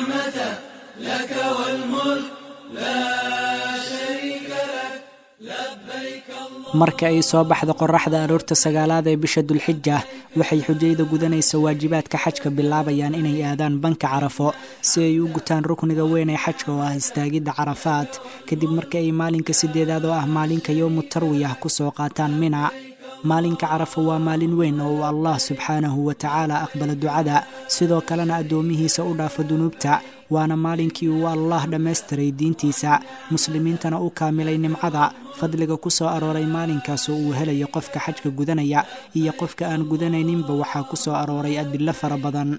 والنعمة لك والملك لا شريك لك لبيك الله. Marka ay soo baxdo qorraxda aroorta sagaalaad ee bisha Dulxija, waxay xujayda gudanaysa waajibaadka xajka bilaabayaan inay aadaan banka Carafo si ay u gutaan rukniga weyn ee xajka oo ah istaagidda Carafaat, kadib marka ay maalinka sideedaad oo ah maalinka Yowmu Tarwiyah kusoo qaataan Mina. Maalinka Carafo waa maalin weyn oo uu Allah subxaanahu wa tacaala aqbalo ducada, sidoo kalena addoomihiisa u dhaafo dunuubta. Waana maalinkii uu Allah dhammaystiray diintiisa, muslimiintana u kaamilay nimcada. Fadliga ku soo arooray maalinkaas oo uu helayo qofka xajka gudanaya iyo qofka aan gudanayninba waxaa ku soo arooray adilo fara badan.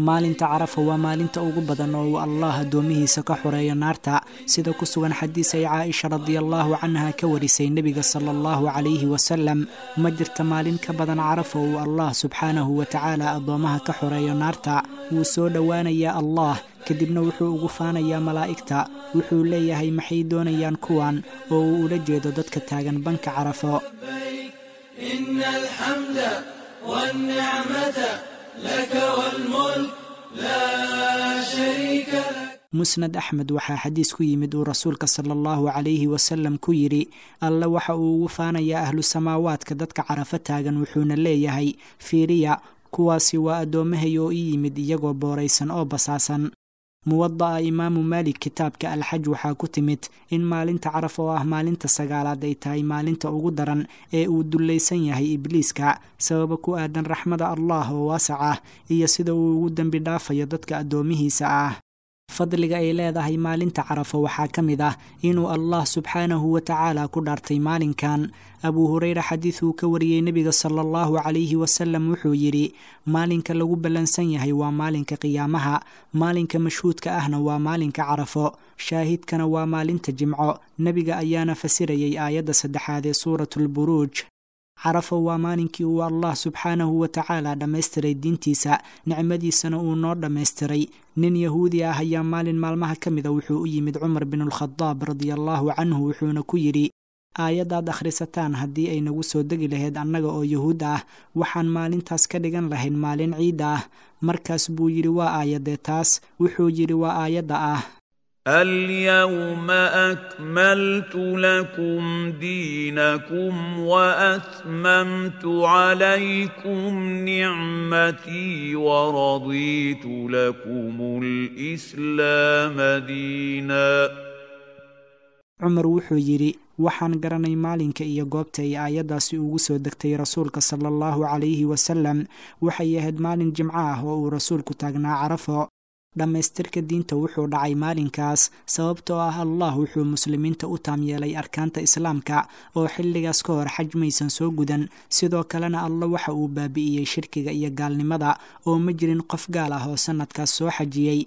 Maalinta Carafa waa maalinta ugu badan oo uu Allah addoomihiisa ka xoreeyo naarta, sida ku sugan xadiis ay Caaisha radiallahu canha ka warisay nebiga sala allahu calayhi wasalam. Ma jirta maalin ka badan Carafa uu Allah subxaanahu wa tacaala addoomaha ka xoreeyo naarta. Wuu soo dhowaanayaa Allah, kadibna wuxuu ugu faanayaa malaa'igta. Wuxuu leeyahay: "Maxay doonayaan kuwan?" oo uu ula jeedo dadka taagan banka Carafo. لبيك إن الحمد والنعمة لك والملك لا شريك لك. Musnad Axmed waxaa xadiis ku yimid uu rasuulka sala allahu calayhi wasalam ku yidhi: Alle waxa uu ugu faanayaa ahlu samaawaadka dadka Carafo taagan, wuxuuna leeyahay: "Fiiriya, kuwaasi waa addoommahay oo ii yimid iyagoo booraysan oo basaasan." Muwada'a Imaamu Maalik kitaabka Alxaj waxaa ku timid in maalinta Caraf oo ah maalinta sagaalaad ay tahay maalinta ugu daran ee uu dullaysan yahay Ibliiska, sababa ku aadan raxmada Allah oo waasac ah iyo sida uu ugu dembi dhaafayo dadka addoomihiisa ah. Fadliga ay leedahay maalinta Carafo waxaa ka mid ah inuu Allah subxaanahu wa tacaala ku dhaartay maalinkan. Abuu Hureyre xadiid uu ka wariyey nebiga sala allahu calayhi wasalam wuxuu yidhi: "Maalinka lagu ballansan yahay waa maalinka qiyaamaha, maalinka mashhuudka ahna waa maalinka Carafo, shaahidkana waa maalinta Jimco." Nebiga ayaana fasirayay aayadda saddexaad ee Suuratulburuuj. Carafo waa maalinkii uu Allah subxaanahu wa tacaala dhammaystiray diintiisa, nicmadiisana uu noo dhammaystiray. Nin Yahuudi ah ayaa maalin maalmaha ka mida wuxuu u yimid Cumar binulkhadaab radiallahu canhu, wuxuuna ku yidhi: "Aayaddaad akhrisataan haddii ay nagu soo degi lahayd annaga oo Yahuud ah, waxaan maalintaas ka dhigan lahayn maalin ciid ah." Markaas buu yidhi: "Waa aayadee taas?" Wuxuu yidhi: "Waa aayadda ah: اليوم أكملت لكم دينكم وأتممت عليكم نعمتي ورضيت لكم الإسلام دينا. Cumar wuxuu yidhi: "Waxaan garanay maalinka iyo goobta ay aayaddaasi ugu soo degtay rasuulka sala allahu calayhi wasalam. Waxay ahayd maalin Jimco ah oo uu rasuulku taagnaa Carafo. Dhammaystirka diinta wuxuu dhacay maalinkaas, sababtoo ah Allah wuxuu muslimiinta u taam yeelay arkaanta islaamka oo xilligaas ka hor xaj maysan soo gudan. Sidoo kalena Alla waxa uu baabi'iyey shirkiga iyo gaalnimada, oo ma jirin qof gaal ah oo sanadkaas soo xajiyey.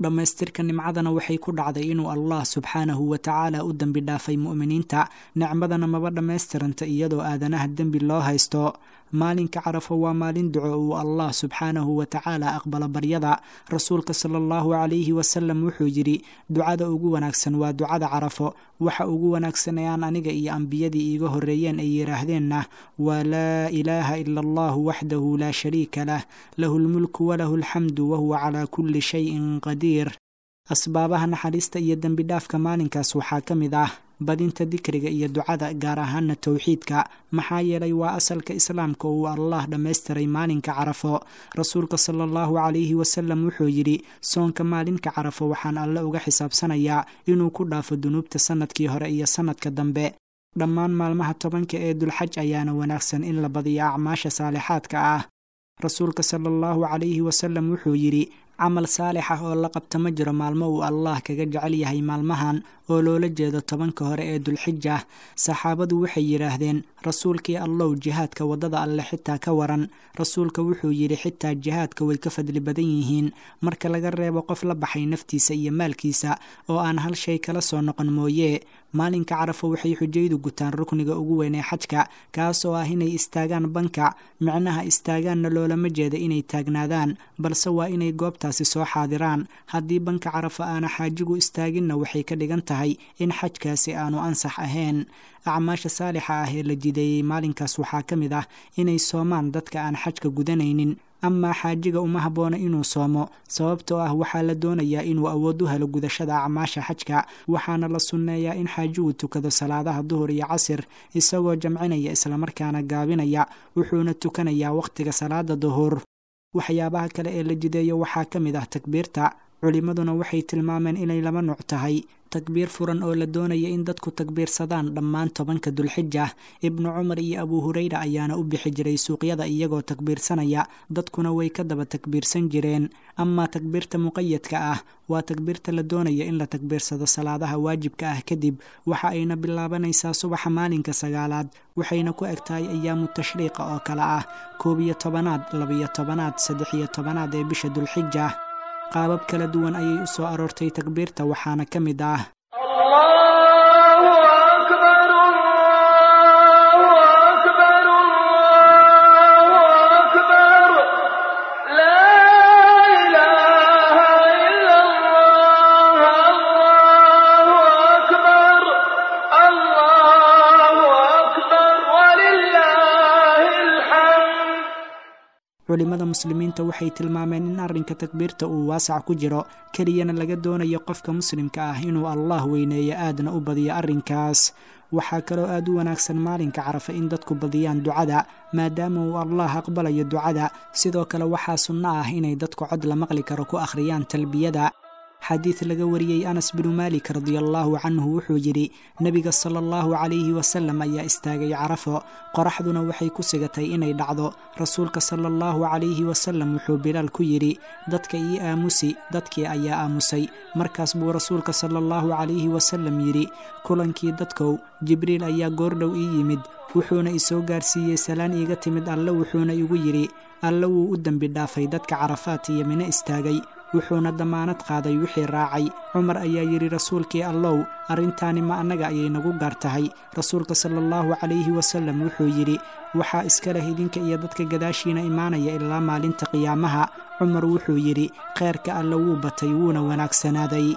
Dhammaystirka nimcadana waxay ku dhacday inuu Allah subxaanahu wa tacaala u dembi dhaafay mu'miniinta. Nicmadana maba dhammaystiranta iyadoo aadanaha dembi loo haysto. Maalinka Carafo waa maalin duco uu Allah subxaanahu wa tacaala aqbalo baryada. Rasuulka sala allahu calayhi wasalam wuxuu yidhi: 'Ducada ugu wanaagsan waa ducada Carafo. Waxa ugu wanaagsan ee aan aniga iyo ambiyadii iiga horreeyeen ay yidhaahdeenna waa: Laa ilaaha ila allahu waxdahu laa shariika lah, lahu lmulku walahu alxamdu wahuwa calaa kulli shayin qadiir.' Asbaabaha naxariista iyo dembi dhaafka maalinkaas waxaa ka mid ah badinta dikriga iyo ducada, gaar ahaana towxiidka, maxaa yeelay waa asalka islaamka uu Allah dhammaystiray maalinka Carafo. Rasuulka sala allahu calayhi wasalam wuxuu yidhi: 'Soonka maalinka Carafo waxaan Alle uga xisaabsanayaa inuu ku dhaafo dunuubta sanadkii hore iyo sanadka dambe.' Dhammaan maalmaha 10-ka ee Dulxaj ayaana wanaagsan in la badiyo acmaasha saalixaadka ah. Rasuulka sala allahu calayhi wasalam wuxuu yidhi: 'Camal saalix ah oo la qabta ma jiro maalmo uu Allah kaga jecel yahay maalmahan,' oo loola jeedo 10-ka hore ee Dulxija. Saxaabadu waxay yidhaahdeen: 'Rasuulkii Allow, jihaadka waddada Alle xitaa ka waran?' Rasuulka wuxuu yidhi: 'Xitaa jihaadka way ka fadli badan yihiin, marka laga reebo qof la baxay naftiisa iyo maalkiisa oo aan hal shay kala soo noqon mooye." Maalinka Carafo waxay xujaydu gutaan rukniga ugu weyn ee xajka, kaas oo ah inay istaagaan banka. Micnaha istaagaanna loolama jeeda inay taagnaadaan, balse waa inay goobtaasi soo xaadiraan. Haddii banka Carafo aana xaajigu istaaginna, waxay ka dhigan tahay in xajkaasi aanu ansax ahayn. Acmaasha saalixa ah ee la jideeyey maalinkaas waxaa ka mid ah inay soomaan dadka aan xajka gudanaynin. Amaa xaajiga uma habboona inuu soomo, sababtoo ah waxaa la doonayaa inuu awood u helo gudashada acmaasha xajka. Waxaana la sunneeyaa in xaajigu tukado salaadaha duhur iyo casir isagoo jamcinaya islamarkaana gaabinaya, wuxuuna tukanayaa wakhtiga salaada duhur. Waxyaabaha kale ee la jideeyo waxaa ka mid ah takbiirta. Culimmaduna waxay tilmaameen inay laba nuuc tahay: takbiir furan oo la doonaya in dadku takbiirsadaan dhammaan 10-ka Dulxija. Ibnu Cumar iyo Abu Hurayra ayaana u bixi jiray suuqyada iyagoo takbiirsanaya, dadkuna way ka daba takbiirsan jireen. Amaa takbiirta muqayadka ah waa takbiirta la doonaya in la takbiirsado salaadaha waajibka ah kadib. Waxa ayna bilaabanaysaa subaxa maalinka 9aad, waxayna ku eg tahay ayaamu tashriiqa oo kale ah 11aad, 12aad, 13aad ee bisha Dulxija. Qaabab kala duwan ayay u soo aroortay takbiirta, waxaana ka mid ah: Allahu akbar, Allahu akbar, Allahu akbar, laa ilaaha illa Allah, Allahu akbar, Allahu akbar, walillaahi alxamd. Culimmada muslimiinta waxay tilmaameen in arrinka takbiirta uu waasac ku jiro, keliyana laga doonayo qofka muslimka ah inuu Allah weyneeyo, aadna u badiyo arrinkaas. Waxaa kaloo aad u wanaagsan maalinka Carafa in dadku badiyaan ducada, maadaama uu Allah aqbalayo ducada. Sidoo kale waxaa sunno ah inay dadku cod la maqli karo ku akhriyaan talbiyada. Xadiid laga wariyey Anas binu Maalik radiallahu canhu wuxuu yidhi: Nebiga sala allahu calayhi wasalam ayaa istaagay Carafo, qoraxduna waxay ku sigatay inay dhacdo. Rasuulka sala allahu calayhi wasalam wuxuu Bilaal ku yidhi: Dadka ii aamusi. Dadkii ayaa aamusay. Markaas buu rasuulka sala allahu calayhi wasalam yidhi: Kulankii dadkow, Jibriil ayaa goordhow ii yimid, wuxuuna isoo gaarsiiyey salaan iiga timid Alle, wuxuuna igu yidhi: Alle wuu u dembi dhaafay dadka Carafaat iyo Mino istaagay, wuxuuna damaanad qaaday wixii raacay. Cumar ayaa yidhi: Rasuulkii Allow, arrintaani ma annaga ayay nagu gaar tahay? Rasuulka sala allahu calayhi wasalam wuxuu yidhi: Waxaa iska leh idinka iyo dadka gadaashiina imaanaya ilaa maalinta qiyaamaha. Cumar wuxuu yidhi: Kheyrka Alle wuu batay, wuuna wanaagsanaaday.